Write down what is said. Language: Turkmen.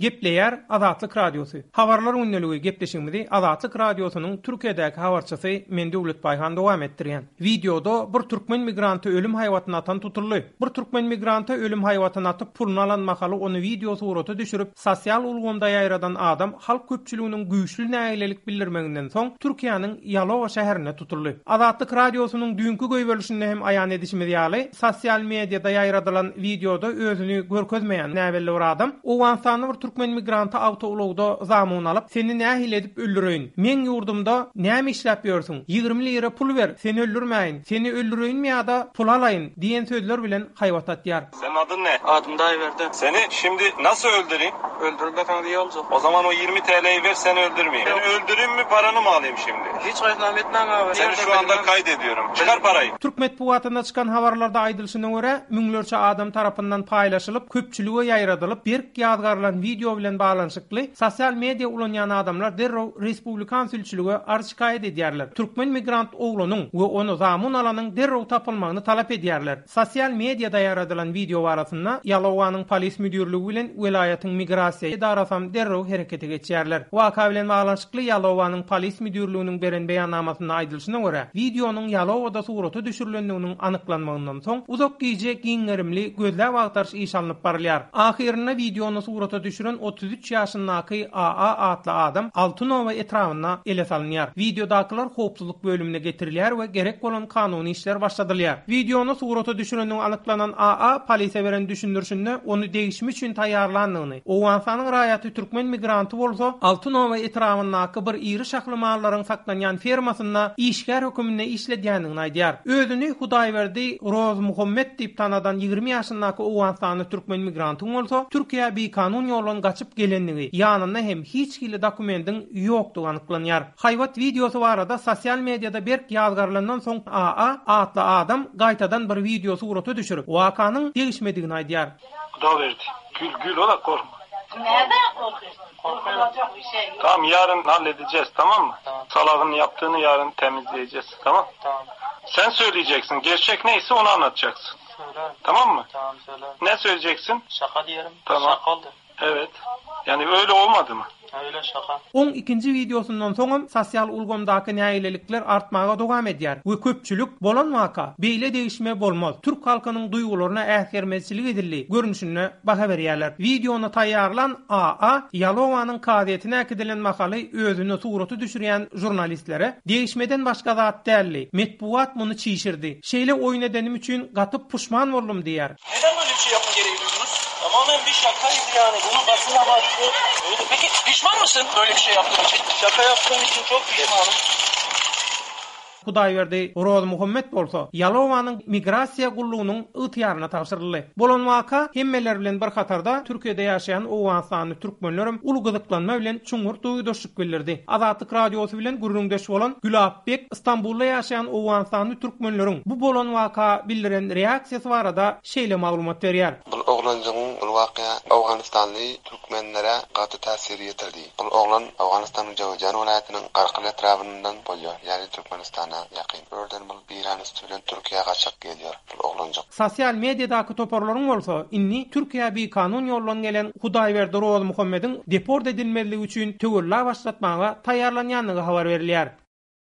Gepleýär Azatlyk Radiosy. Habarlar gündeligi gepleşigimizi Azatlyk Radiosynyň Türkiýedäki habarçysy men Döwlet Baýhan dowam etdirýän. Wideoda bir türkmen migranty ölüm haýbatyny atan tutuldy. Bir türkmen migranta ölüm haýbatyny atyp puluny alan mahaly ony wideo surata düşürip sosial ulgamda ýaýradan adam halk köpçüliginiň güýçli nägilelik bildirmeginden soň Türkiýäniň Ýalowa şäherinde tutuldy. Azatlyk Radiosynyň düýnki goýberilişinde hem aýan edişimiz ýaly, sosial mediada ýaýradylan wideoda özüni görkezmeýän näbelli bir adam Owganystanly bir türkmen migranty awtoulagda zamun alyp, Seni nähili edip öldüreýin? Meň ýurdumda näme işläp ýörsüň? 20 lira pul ber, seni öldürmäýin. Seni öldüreýinmi ýa-da pul alaýyn? diýen sözler bilen haýbat atýar. Senin adın ne? Adım Daýberdi. Seni şimdi nasıl öldüreyim? Öldürmeseňiz iyi boljak. O zaman o 20 TL'yi ver seni öldürmeyeyim. Seni öldüreyim mi paranı mı alayım şimdi? Hiç gaýtnam etmäň abi. Seni şu anda kaydediyorum. Çıkar parayı. Türk metbugatynda çykan habarlarda aýdylyşyna görä, müňlerçe adam tarapyndan paýlaşylyp, köpçülige ýaýradylyp, berk ýazgarylan wideo bilen baglanyşykly sosial media ulanýan adamlar derrew respublikan sülçülige arz-şikaýat edýärler. Türkmen migrant oglanyň we ony zamun alanyň derrew tapylmagyny talap edýärler. Sosial mediada ýaradylan wideo barasynda Ýalowanyň polis müdirligi bilen welaýatyň migrasiýa edarasam derrew herekete geçýärler. Waka bilen baglanyşykly Ýalowanyň polis müdirliginiň beren beýannamasynda aýdylyşyna görä, wideonyň Ýalowada surata düşürilendiginiň anyklanmagyndan soň, uzak gije giň gerimli gözläp-agtaryş işi alnyp barylýar. Ahyrynda wideony surata düşüren 33 ýaşyndaky AA atly adam Altynoba etrabynda ele salynýar. Wideodakylar howpsuzlyk bölümine getirilýär we gerek bolan kanuny işler başladylýar. Wideony surata düşürendigi anyklanan AA polisiýa beren düşündirişinde ony degişme üçin taýýarlandygyny, Owganystanyň raýaty türkmen migranty bolsa Altynoba etrabyndaky bir iri şahly mallaryň saklanýan fermasynda işgär höküminde işledýändigini aýdýar. Özüni Hudaýberdi Rozmuhammet diýip tanadan 20 ýaşyndaky owganystanly türkmen migrantyň bolsa Türkiýä bikanun ýoldan gaçyp gelendigi, ýanynda hem hiç hili dokumendiň ýokdugy anyklanýar. Haýbat wideosy barada sosial mediada berk ýazgarylandan soň AA atly adam gaýtadan bir wideo surata düşürip, wakanyň degişmedigini aýdýar. Hudawerdi, gül gül ola korkma. Nerden korkuyorsun? Korkulacak bir şey yok. Tamam yarın halledeceğiz tamam mı? Tamam. Salağın yaptığını yarın temizleyeceğiz tamam? Tamam. Sen söyleyeceksin. Gerçek neyse onu anlatacaksın. Söylerim. Tamam mı? Tamam söylerim. Ne söyleyeceksin? Şaka diyelim. Tamam. Şaka oldu. Evet. Yani öyle olmadı mı? Öyle şaka. Oň ikinji wideosyndan soňam sosial ulgamdaky nägilelikler artmaga dowam edýär we köpçülik bolan waka, beýle degişme bolmaz, türk halkynyň duýgularyna äsgermezçilik edildi görnüşinde baha berýärler. Wideony taýýarlan AA Ýalowanyň kazyýetine äkidilen mahaly özüni surata düşürýän žurnalistlere, Degişmeden başga zat däldi, metbugat muny çişirdi. Şeýle oýun edenim üçin gaty puşman boldum diýýär. Neden böyle bir şey yapma gereği duydunuz? Tamamen bir şakaydı yani. Bunu basın abarttı. Öyle. Peki pişman mısın böyle bir şey yaptığın için? Şaka yaptığım için çok pişmanım. Hudaýberdi Rozmuhammet bolsa Ýalowanyň migrasiýa gullugynyň ygtyýaryna tabşyryldy. Bolan waka hemmeler bilen bir hatarda Türkiýede ýaşaýan owganystanly türkmenlerem uly gyzyklanma bilen çuňňur duýgudaşlyk bildirdi. Azatlyk Radiosy bilen gürrüňdeş bolan Gülap bek Stambulda ýaşaýan owganystanly türkmenleriň bu bolan waka bildiren reaksiýasy barada şeýle maglumat berýär. Bul oglanjygyň bul wakya owganystanly türkmenlere gaty täsir ýetirdi. Bul oglan Owganystanyň Jöwüzjan welaýatynyň Garkyl etrabyndan bolýar, ýagny Türkmenistana ýakyn. Bu ýerden bul Eýran üsti bilen Türkiýä gaçak gelýär bul oglanjyk. Sosial mediadaky toparlaryň bolsa indi Türkiýä bikanun ýoldan gelen Hudaýberdi Rozmuhammediň deport edilmezligi üçin töwella başlatmaga taýýarlanýandygy habar berilýär.